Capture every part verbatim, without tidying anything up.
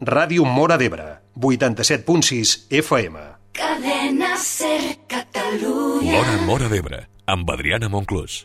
Ràdio Móra d'Ebre, vuitanta-set punt sis F M. Cadena Ser Catalunya. L'Hora Móra d'Ebre, amb Adriana Monclús.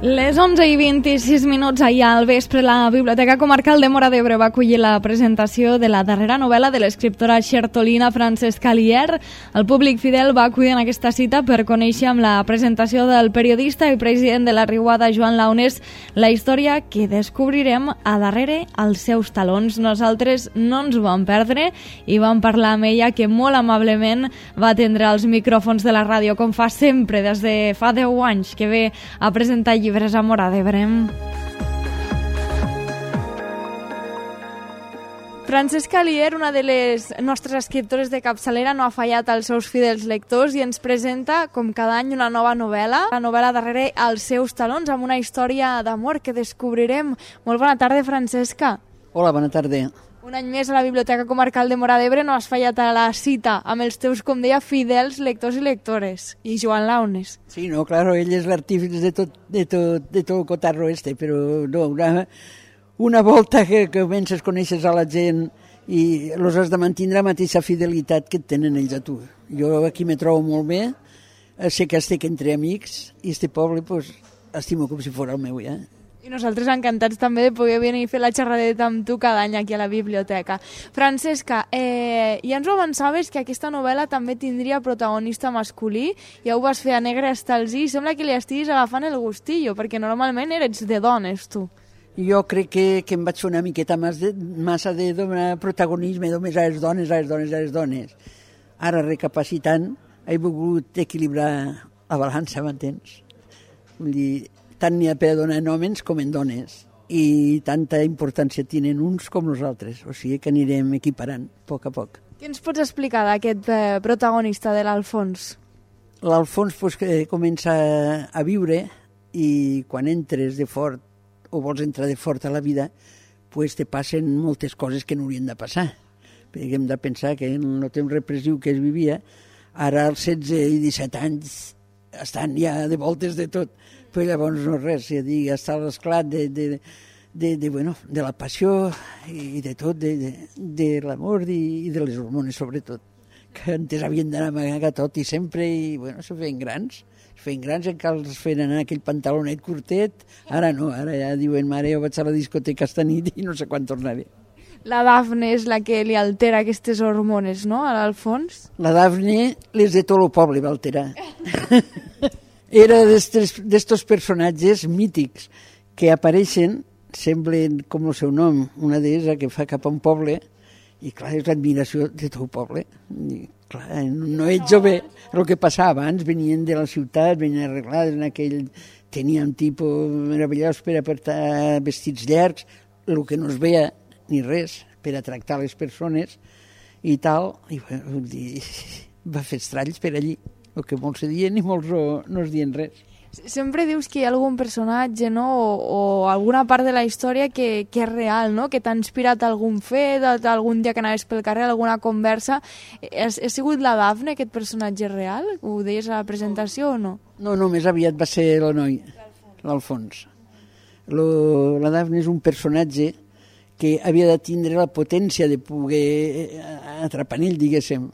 Les onze i vint-i-sis minuts ahir al vespre, la Biblioteca Comarcal de Móra d'Ebre va acollir la presentació de la darrera novel·la de l'escriptora xertolina Francesca Alier. El públic fidel va acudir en aquesta cita per conèixer amb la presentació del periodista i president de la Riuada, Joan Launes, la història que descobrirem a darrere als seus talons. Nosaltres no ens ho vam perdre i vam parlar amb ella, que molt amablement va atendre els micròfons de la ràdio, com fa sempre des de fa deu anys que ve a presentar llibres a Móra d'Ebre. Francesca Alier, una de les nostres escriptores de capçalera, no ha fallat als seus fidels lectors i ens presenta, com cada any, una nova novel·la, la novel·la darrere als seus talons, amb una història d'amor que descobrirem. Molt bona tarda, Francesca. Hola, bona tarda. Un any més a la Biblioteca Comarcal de Móra d'Ebre no has fallat a la cita amb els teus, com deia, fidels lectors i lectores. I Joan Launes. Sí, no, claro, ell és l'artífice de tot, de tot, de tot el cotarro este, però no, una, una volta que, que comences, coneixes a la gent i els has de mantenir la mateixa fidelitat que tenen ells a tu. Jo aquí me trobo molt bé, sé que estic entre amics i este poble, pues, estimo com si fos el meu, ja. I nosaltres encantats també de poder venir a fer la xerradeta amb tu cada any aquí a la biblioteca. Francesca, eh, ja ens ho avançaves que aquesta novel·la també tindria protagonista masculí, ja ho vas fer a negre hasta els i, sembla que li estiguis agafant el gustillo, perquè normalment eres de dones, tu. Jo crec que, que em vaig fer una miqueta més de, massa de donar protagonisme només a les dones, a les dones, a les dones. Ara, recapacitant, he volgut equilibrar la balança, m'entens? Vull dir, tant n'hi ha per donar en homes com en dones i tanta importància tenen uns com nosaltres, o sigui que anirem equiparant a poc a poc. Què ens pots explicar d'aquest eh, protagonista de l'Alfons? L'Alfons pues, que comença a viure i quan entres de fort o vols entrar de fort a la vida pues, te passen moltes coses que no haurien de passar, perquè hem de pensar que en el temps repressiu que es vivia, ara als setze i disset anys estan ja de voltes de tot, però llavors no res, ja dic, està l'esclat de, de, de, de, bueno, de la passió i de tot, de, de, de l'amor i, i de les hormones sobretot, que antes havien d'anar a amagar tot i sempre, i bueno, se feien grans, se feien grans, encara els feien anar aquell pantalonet curtet, ara no, ara ja diuen, mare, jo vaig a la discoteca esta nit i no sé quan tornaré. La Dafne és la que li altera aquestes hormones, no?, a l'Alfons? La Dafne les de tot el poble va alterar. Era d'estos personatges mítics que apareixen, semblen com el seu nom, una deessa que fa cap a un poble, i clar, és l'admiració de tot el poble. I, clar, no ets jove. El que passava abans, venien de la ciutat, venien arreglades en aquell... Tenien tipus meravellós per a portar vestits llargs, el que no es veia ni res, per a tractar les persones i tal, i vull dir, va fer estralls per allí, el que molts se diuen i molts no, no es diuen res. Sempre dius que hi ha algun personatge, no?, o, o alguna part de la història que, que és real, no?, que t'ha inspirat algun fet, algun dia que anaves pel carrer, alguna conversa. Ha, ha sigut la Dafne, aquest personatge real? Ho deies a la presentació o no? No, no, més aviat va ser el noi, l'Alfons. Lo, la Dafne és un personatge que havia de tindre la potència de poder atrapar en ell, diguéssim,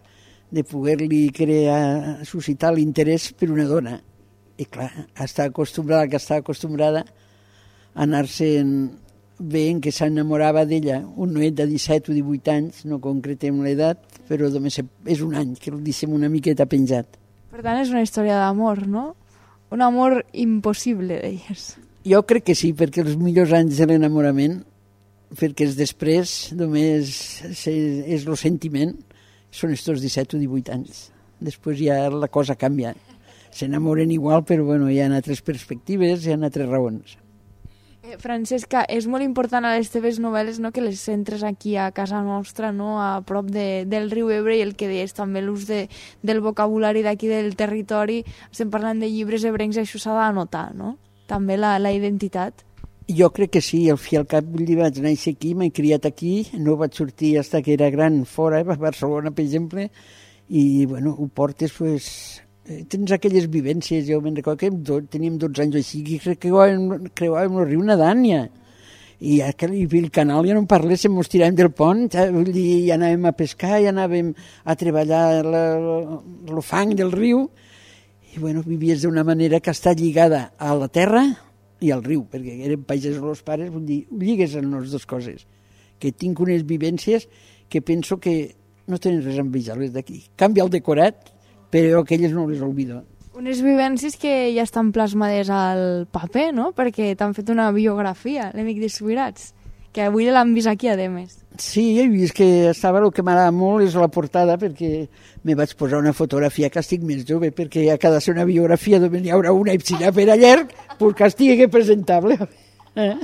de poder-li crear, suscitar l'interès per una dona. I clar, està acostumbrada, que està acostumbrada a anar-se'n veient que s'enamorava d'ella, un noet de disset o divuit anys, no concretem l'edat, però només és un any, que el deixem una miqueta penjat. Per tant, és una història d'amor, no? Un amor impossible, deies. Jo crec que sí, perquè els millors anys de l'enamorament, perquè els després només és el sentiment, són estos disset o divuit anys. Després ja la cosa canvia. S'enamoren igual, però bueno, hi ha altres perspectives, hi ha altres raons. Eh, Francesca, és molt important a les teves novel·les, no?, que les centres aquí a casa nostra, no?, a prop de, del riu Ebre, i el que deies també l'ús de, del vocabulari d'aquí del territori. Estem parlant de llibres ebrencs, això s'ha d'anotar, no?, també la, la identitat. Jo crec que sí, al fi al cap vull dir, vaig néixer aquí, m'he criat aquí, no vaig sortir fins que era gran fora, a Barcelona, per exemple, i, bueno, ho portes, pues, eh, tens aquelles vivències, jo me'n recordo que do, teníem dotze anys així, i crec que creuàvem el riu nedant, ja. I ja que el canal ja no en parléssim, mos tiràvem del pont, ja, vull dir, ja anàvem a pescar, ja anàvem a treballar el fang del riu, i, bueno, vivies d'una manera que està lligada a la terra i al riu, perquè eren pagesos els pares, vull dir, lligues en les dues coses, que tinc unes vivències que penso que no tenen res a envejar-les d'aquí. Canvia el decorat, però aquelles no les oblido. Unes vivències que ja estan plasmades al paper, no? Perquè t'han fet una biografia, l'Emic Desubirats, que avui l'han vist aquí, a més. Sí, he vist que estava, el que m'agrada molt és la portada, perquè me vaig posar una fotografia que estic més jove, perquè a cada ser una biografia d'on hi haurà una i si ja per a llarg, pues que estigui presentable. Eh?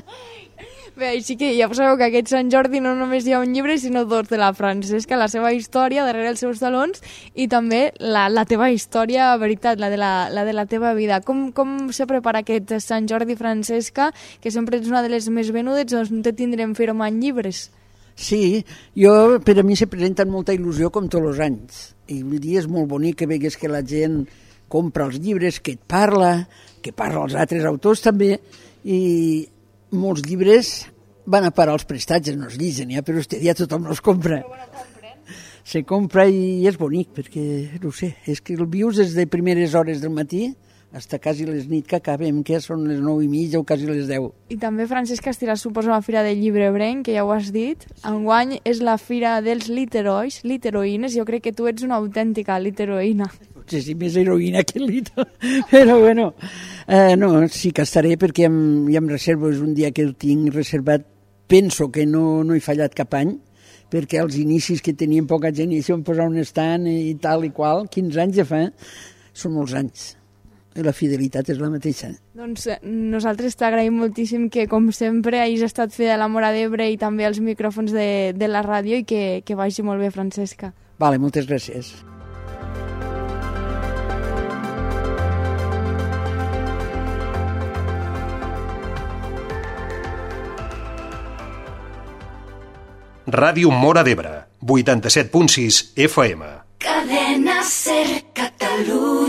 Bé, així que ja sabeu que aquest Sant Jordi no només hi ha un llibre, sinó dos de la Francesca, la seva història darrere els seus talons i també la, la teva història, veritat, la de la, la de la teva vida. Com, com se prepara aquest Sant Jordi, Francesca, que sempre ets una de les més venudes, doncs no te tindrem firmant llibres? Sí, jo, per a mi se presenta amb molta il·lusió com tots els anys. I vull dir, és molt bonic que vegues que la gent compra els llibres, que et parla, que parla als altres autors també, i molts llibres van a parar als prestatges, no es lligen ja, però este dia tothom els compra. Se compra i és bonic, perquè, no sé, és que el vius des de primeres hores del matí fins quasi les nit que acabem, que són les nou i mitja o quasi les deu. I també, Francesca, estiràs, suposo, la Fira del Llibre Ebrenc, que ja ho has dit. Enguany és la Fira dels Literois, literoïnes. Jo crec que tu ets una autèntica literoïna. Potser sí, més heroïna que lito, però bueno, eh, no, sí que estaré perquè ja em, ja em reservo, és un dia que el tinc reservat, penso que no, no he fallat cap any, perquè als inicis que teníem poca gent i això em posar un estant i tal i qual, quinze anys ja fa, són molts anys. I la fidelitat és la mateixa. Doncs nosaltres t'agraïm moltíssim que, com sempre, hagis estat fidel a la Móra d'Ebre i també als micròfons de, de la ràdio i que, que vagi molt bé, Francesca. Vale, moltes gràcies. Ràdio Móra d'Ebre, vuitanta-set punt sis F M. Cadena Ser Catalunya.